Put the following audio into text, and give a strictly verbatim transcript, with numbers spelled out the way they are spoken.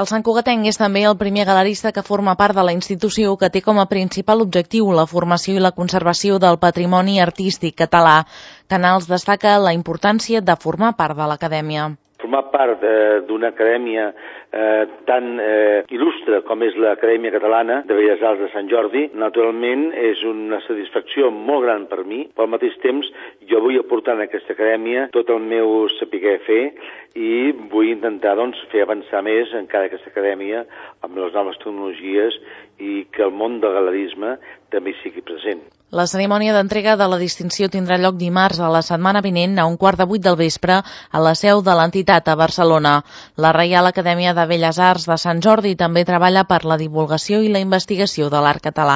El santcugatenc és també el primer galerista que forma part de la institució que té com a principal objectiu la formació i la conservació del patrimoni artístic català. Canals destaca la importància de formar part de l'acadèmia. Formar part d'una acadèmia eh, tan eh, il·lustre com és l'Acadèmia Catalana de Belles Arts de Sant Jordi, naturalment és una satisfacció molt gran per mi, però al mateix temps jo vull aportar en aquesta acadèmia tot el meu saber fer i vull intentar doncs, fer avançar més encara aquesta acadèmia amb les noves tecnologies i que el món del galerisme també sigui present. La cerimònia d'entrega de la distinció tindrà lloc dimarts a la setmana vinent a un quart de vuit del vespre a la seu de l'entitat a Barcelona. La Reial Acadèmia de Belles Arts de Sant Jordi també treballa per la divulgació i la investigació de l'art català.